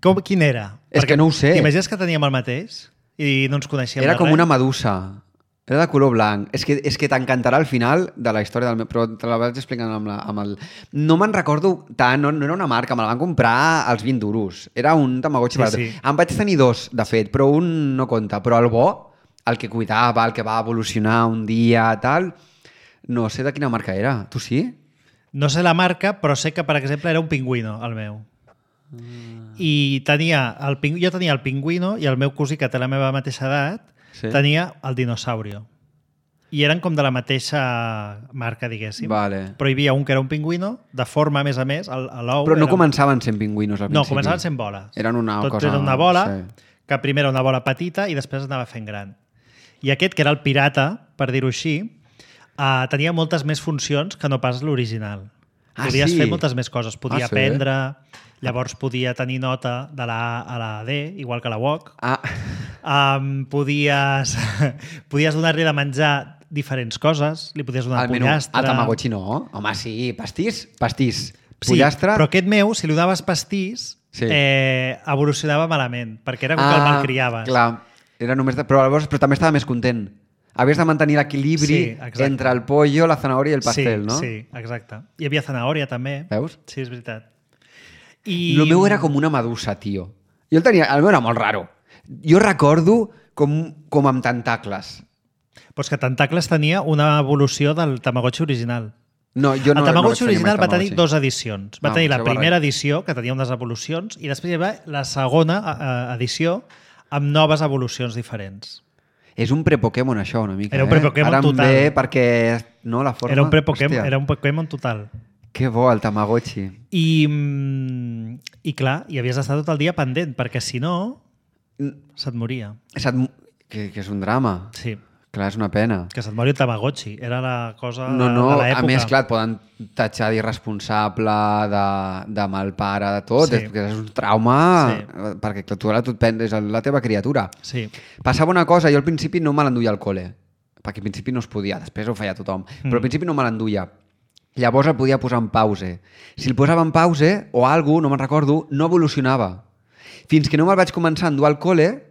Com, quin era? És que no ho sé. T'imagines que teníem el mateix? I no ens coneixíem Era de com res? una medusa. Era de color blanc. És que, és que t'encantarà al final de la història del meu... Però te la vaig explicant amb, la, amb el... No me'n recordo tant, no, no era una marca, me la van comprar als vint duros. Era un Tamagotchi Sí, barat. sí. Em vaig tenir dos, de fet, però un no compta. Però el bo, el que cuidava, el que va evolucionar un dia, tal... No sé de quina marca era. Tu sí? No sé la marca, però sé que, per exemple, era un pingüino, el meu. Mm. I tenia el ping... jo tenia el pingüino i el meu cosí, que té la meva mateixa edat, Sí. tenia el dinosaurio. I eren com de la mateixa marca, diguéssim. Vale. Però hi havia un que era un pingüino, de forma, a més a més, el- a l'ou... Però no era... començaven sent pingüinos al No, principi. començaven sent boles. Eren una Tot cosa... era una bola, Sí. que primer era una bola petita i després es anava fent gran. I aquest, que era el pirata, per dir-ho així, uh, tenia moltes més funcions que no pas l'original. Ah, Podies sí? fer moltes més coses. Podia Ah, sí? aprendre, llavors podia tenir nota de la A a la D, igual que la W O C. Ah, Um, podies podies donar-li de menjar diferents coses, li podies donar al menú. pollastre... Al Tamagotchi no. Home, sí. Pastís? Pastís. Sí, Pollastre? però aquest meu, si li donaves pastís, Sí. eh, evolucionava malament, perquè era com que el malcriaves. Clar, era només de... però, llavors, però també estava més content. Havies de mantenir l'equilibri Sí, exacte. entre el pollo, la zanahòria i el pastel, sí, no? Sí, exacte. Hi havia zanahòria també. Veus? Sí, és veritat. I... El meu era com una medusa, tio. Jo el tenia... El meu era molt raro. Jo recordo com, com amb tentacles. Però és que Tentacles tenia una evolució del Tamagotchi original. No, jo no, el Tamagotchi no vaig tenir original mai va tenir Tamagotchi. dues edicions. Va No, tenir la això va primera res. edició, que tenia unes evolucions, i després hi va la segona eh, edició amb noves evolucions diferents. És un pre-Pokémon, això, una mica. Era un eh? pre-Pokémon Ara em total. ve perquè... No, la forma... Era un pre-Pokémon, Hòstia, era un Pokémon total. Que bo, el Tamagotchi. I, mm, i clar, i havies d'estar tot el dia pendent, perquè si no, se't moria. Se't... Que, que és un drama. Sí, Clar, és una pena. que se't mori el Tamagotchi. Era la cosa No, de, no, de l'època. a més, clar, et poden tatxar d'irresponsable, de, de mal pare, de tot. Sí. És, que és un trauma, Sí. perquè clar, tu ara tu et penses la teva criatura. Sí. Passava una cosa, jo al principi no me l'enduia al col·le, perquè al principi no es podia, després ho feia tothom, Mm. però al principi no me l'enduia. Llavors el podia posar en pause. Si el posava en pause, o alguna, no me'n recordo, no evolucionava. Fins que no me'l vaig començar a endur al col·le,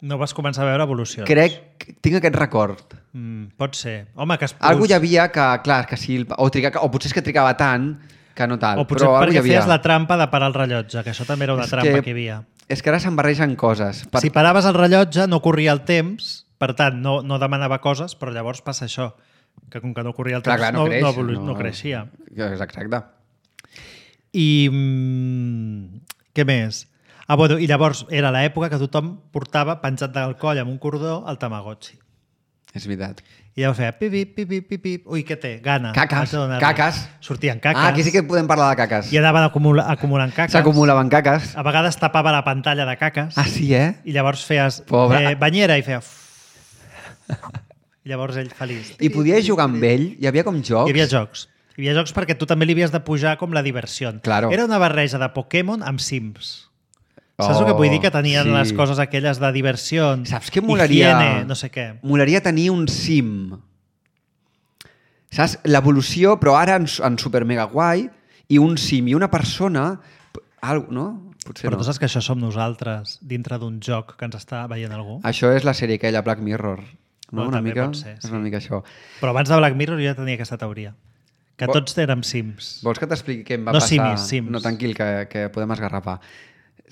No vas començar a veure evolucions. crec, tinc aquest record. Mm, pot ser. Home, que es... Algú hi havia que, clar, que si... El, o, triga, o potser és que trigava tant que no tal. O potser però algú hi perquè havia. feies la trampa de parar el rellotge, que això també era una És trampa que, que- hi havia. És que ara se'n barregen coses. Per... Si paraves el rellotge, no corria el temps, per tant, no, no demanava coses, però llavors passa això, que com que no corria el temps, Clar, clar, no, creix, no, evolu- no creixia. Exacte. I mm, què més? Ah, bueno, i llavors era l'època que tothom portava penjat del coll amb un cordó el Tamagotchi. És veritat. I llavors feia pip, pip, pip, pip, pip. Ui, què té? Gana. Caques, Haig de donar-li. caques. Sortien caques. Ah, aquí sí que podem parlar de caques. I anaven acumula, acumulant caques. S'acumulaven caques. A vegades tapava la pantalla de caques. Ah, sí, eh? I llavors feies Pobre. eh, banyera i feia... I llavors ell feliç. I podies jugar amb ell? Hi havia com jocs? Hi havia jocs. Hi havia jocs perquè tu també li havies de pujar com la diversió. Claro. Era una barreja de Pokémon amb Sims. Saps Oh, el que vull dir? Que tenien sí. les coses aquelles de diversió, Saps què molaria? higiene, no sé què. Molaria tenir un sim. Saps? L'evolució, però ara en, en super mega guai, i un sim i una persona... Algo, no? Potser Però no. tu saps que això som nosaltres dintre d'un joc que ens està veient algú? Això és la sèrie aquella, Black Mirror. No? Bueno, una també mica? pot ser, És sí. una mica això. Però abans de Black Mirror jo ja tenia aquesta teoria. Que Vol- tots érem Sims. Vols que t'expliqui què em va No passar? simis, sims. No, tranquil, que, que podem esgarrapar.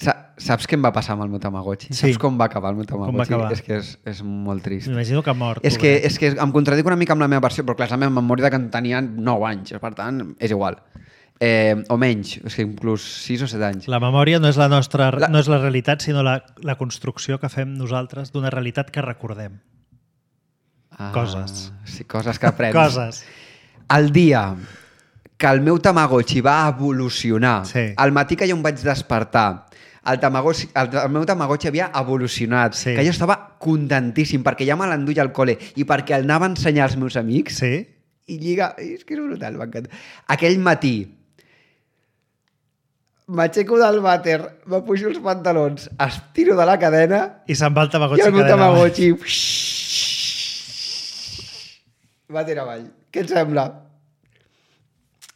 Sa saps què em va passar amb el meu Tamagotchi? Sí. Saps com va acabar el meu Tamagotchi? Com va acabar? És que és, és molt trist. M'imagino que ha mort. És que, és que em contradic una mica amb la meva versió, però clar, és la meva memòria de que en tenia nou anys, per tant, és igual. Eh, o menys, és que inclús sis o set anys. La memòria no és la nostra, La- no és la realitat, sinó la, la construcció que fem nosaltres d'una realitat que recordem. Ah, Coses. Sí, coses que aprens. Coses. El dia que el meu Tamagotchi va evolucionar, Sí. al matí que jo em vaig despertar, el, Tamagotchi, el, el meu Tamagotchi havia evolucionat, Sí. que jo estava contentíssim perquè ja me l'enduia al col·le i perquè el anava a ensenyar als meus amics Sí? i lliga... És que és brutal, m'encanta. Aquell matí m'aixeco del vàter, me pujo els pantalons, estiro de la cadena I se'n va el i Tamagotchi. el meu cadena avall. Tamagotchi vàter avall. Què et sembla?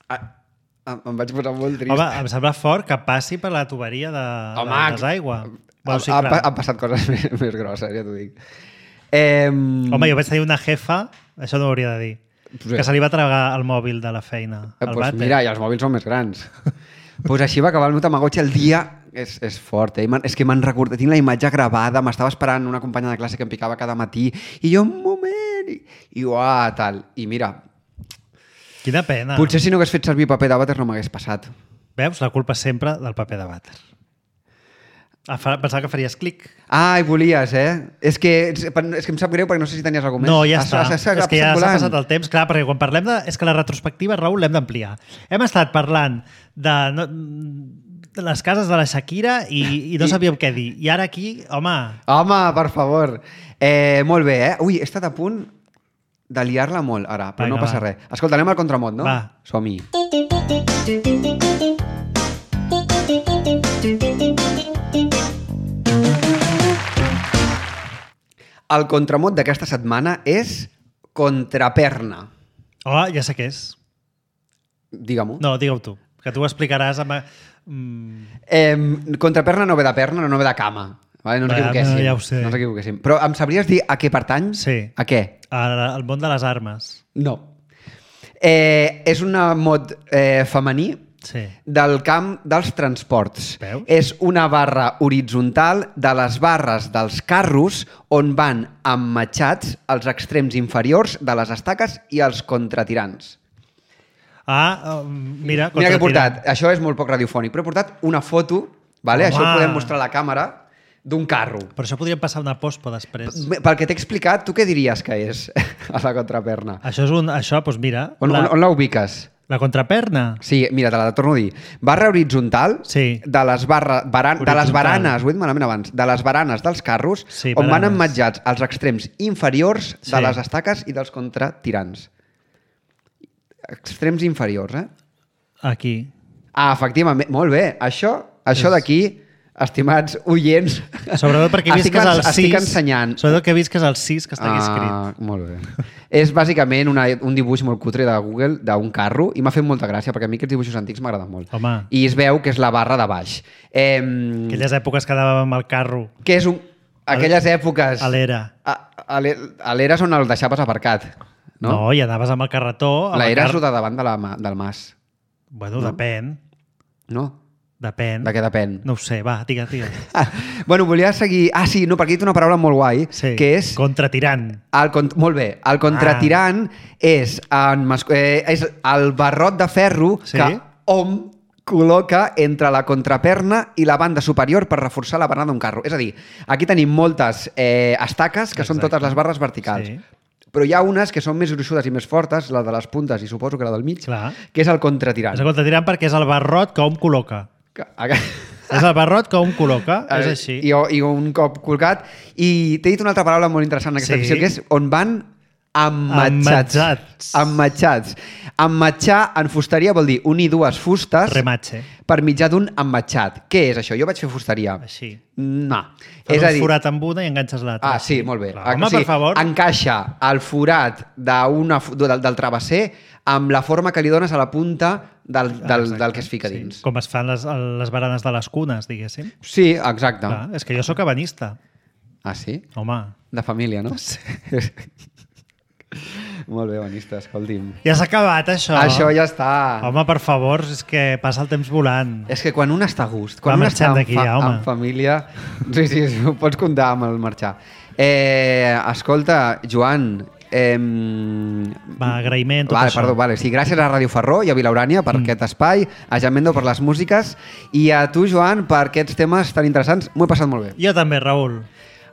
Ah, em em vaig posar molt trist. Home, em sembla fort que passi per la tuberia de, Home, de desaigua. Bueno, sí, ha, ha, clar. han passat coses més, més grosses, ja t'ho dic. Eh, Home, jo vaig tenir una jefa, això no ho hauria de dir, Pues que se li va tragar el mòbil de la feina. Eh, El pues vàter. mira, i els mòbils són més grans. pues així va acabar el meu Tamagotchi el dia... És, és fort, eh? I me'n- És que me'n recordo, tinc la imatge gravada, m'estava esperant una companya de classe que em picava cada matí, i jo, un moment, i, i uah, tal. I mira, Quina pena. potser si no hagués fet servir paper de vàter no m'hagués passat. Veus? La culpa és sempre del paper de vàter. Ah, fa- pensava que faries clic. Ai, volies, eh? És que, és que em sap greu perquè no sé si tenies alguna No, més. ja Has- està. has- has- És has que ja passat s'ha volant. passat el temps. Clar, perquè quan parlem de... És que la retrospectiva, Raül, l'hem d'ampliar. Hem estat parlant de, no, de les cases de la Shakira i, i no I- sabíem què dir. I ara aquí, home... Home, per favor. Eh, molt bé, eh? Ui, he estat a punt de liar-la molt ara, però Vinga, no passa va. res. Escolta, anem al contramot, no? Va. Som-hi. El contramot d'aquesta setmana és contraperna. Oh, ja sé què és. Digue-m'ho. No, digue-ho tu, que tu ho explicaràs amb... Mm, Eh, contraperna no ve de perna, no ve de cama. Vale? No ens Va, equivoquéssim. no, ja ho sé. No ens equivoquéssim. Però em sabries dir a què pertany? Sí. A què? al, al món de les armes. No. Eh, és un mot eh, femení Sí. del camp dels transports. Veus? És una barra horitzontal de les barres dels carros on van emmatxats els extrems inferiors de les estaques i els contratirants. Ah, um, mira... Mira que he contratirant. portat, això és molt poc radiofònic, però he portat una foto, vale? Home. Això ho podem mostrar a la càmera, d'un carro. Per això podríem passar una pospo després. Pel que t'he explicat, tu què diries que és a la contraperna? Això és un... Això, doncs mira... On la, la, on la ubiques? la contraperna. Sí, mira, te la torno a dir. Barra horitzontal Sí. de, les barra, baran, de les Horitzontal. baranes, ho he dit malament abans, de les baranes dels carros Sí, on van baranes. emmatjats els extrems inferiors de Sí. les estaques i dels contratirants. Extrems inferiors, eh? Aquí. Ah, efectivament, molt bé. Això, això d'aquí, estimats oients... Sobretot perquè he vist estic, que és el ens- sis. estic ensenyant. Sobretot que he vist que és el sis que està aquí escrit. Ah, molt bé. És bàsicament una, un dibuix molt cutre de Google d'un carro i m'ha fet molta gràcia perquè a mi aquests dibuixos antics m'agraden molt. Home. I es veu que és la barra de baix. Eh, Aquelles èpoques que anàvem amb el carro que és un... Aquelles èpoques... a l'era. A, a l'e- a l'era és on el deixaves aparcat. No? No? no, i anaves amb el carretó... amb La el era car- és de davant de la, ma- del mas. Bueno, No? depèn. No? Depèn. De què depèn? No ho sé, va, digue, digue. Ah, bueno, volia seguir... Ah, sí, no, perquè he dit una paraula molt guai, Sí. que és... Contratirant. El, cont- molt bé. El contratirant ah. és, en mas... eh, és el barrot de ferro Sí. que hom col·loca entre la contraperna i la banda superior per reforçar la barana d'un carro. És a dir, aquí tenim moltes eh, estaques que són Exacte. totes les barres verticals. Sí. Però hi ha unes que són més gruixudes i més fortes, la de les puntes i suposo que la del mig, Clar. que és el contratirant. És el contratirant perquè és el barrot que hom col·loca. Que- És el barrot que hom col·loca, és així. I, I un cop colgat. I t'he dit una altra paraula molt interessant en aquesta Sí. secció, que és on van emmatxats. Emmatxats. Emmatxats. Emmatxar en fusteria vol dir unir dues fustes Rematxe. per mitjà d'un emmatxat. Què és això? Jo vaig fer fusteria. Així. No. Fas És a un dir, forat amb una i enganxes l'altra. Ah, sí, molt bé. Clar, home, per favor. Encaixa el forat d'una, fu- del, del travesser amb la forma que li dones a la punta del, del, Exacte, del que es fica sí. dins. Com es fan les, les baranes de les cunes, diguéssim. Sí, exacte. Clar, és que jo sóc ebenista. Ah, sí? Home, De família, no? Sí. Molt bé, Banista, escolti'm. ja s'ha acabat, això. Això ja està. Home, per favor, és que passa el temps volant. És que quan un està a gust, quan Va un marxant està en, d'aquí ja, home. en família... Sí, sí, sí, ho pots comptar amb el marxar. Eh, escolta, Joan... Eh, Va, agraïment, tot vale, això. Perdó, vale. Sí, gràcies a Ràdio Ferró i a Vilaurània per mm. aquest espai, a Jamendo per les músiques i a tu, Joan, per aquests temes tan interessants. M'ho he passat molt bé. Jo també, Raül.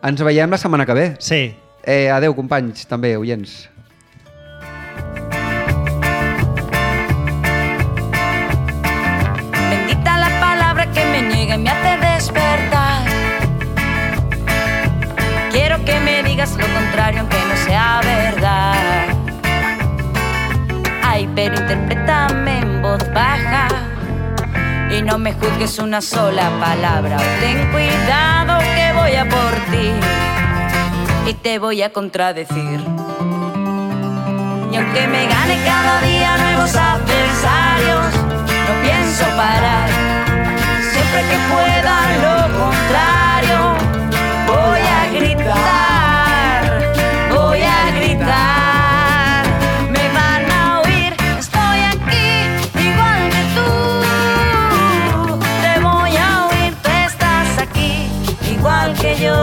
Ens veiem la setmana que ve. Sí. Eh, adeu, companys, també, oients. Bendita la palabra que me niega y me hace despertar. Quiero que me digas lo contrario aunque no sea verdad. Ay, pero interprétame en voz baja y no me juzgues una sola palabra. Ten cuidado que voy a por ti y te voy a contradecir. Y aunque me gane cada día nuevos adversarios, no pienso parar. Siempre que pueda lo contrario, voy a gritar, voy a gritar. Me van a oír, estoy aquí, igual que tú. Te voy a oír, tú estás aquí, igual que yo.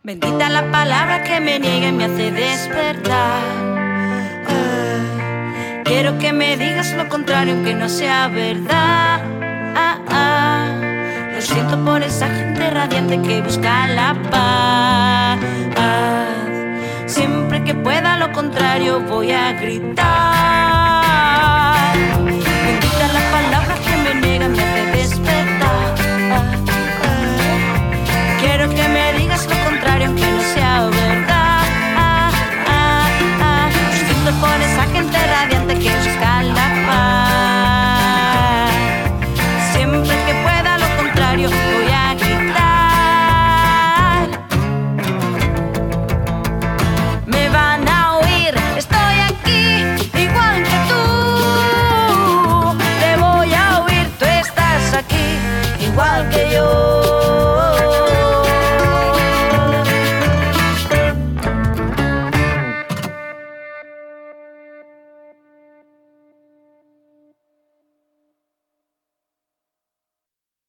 Bendita la palabra que me niega y me hace despertar. Ah, quiero que me digas lo contrario aunque no sea verdad. Ah, ah, lo siento por esa gente radiante que busca la paz. Siempre que pueda lo contrario voy a gritar. Bendita la palabra que me niega y me hace despertar. Ah, ah, quiero que me digas lo contrario aunque no sea verdad.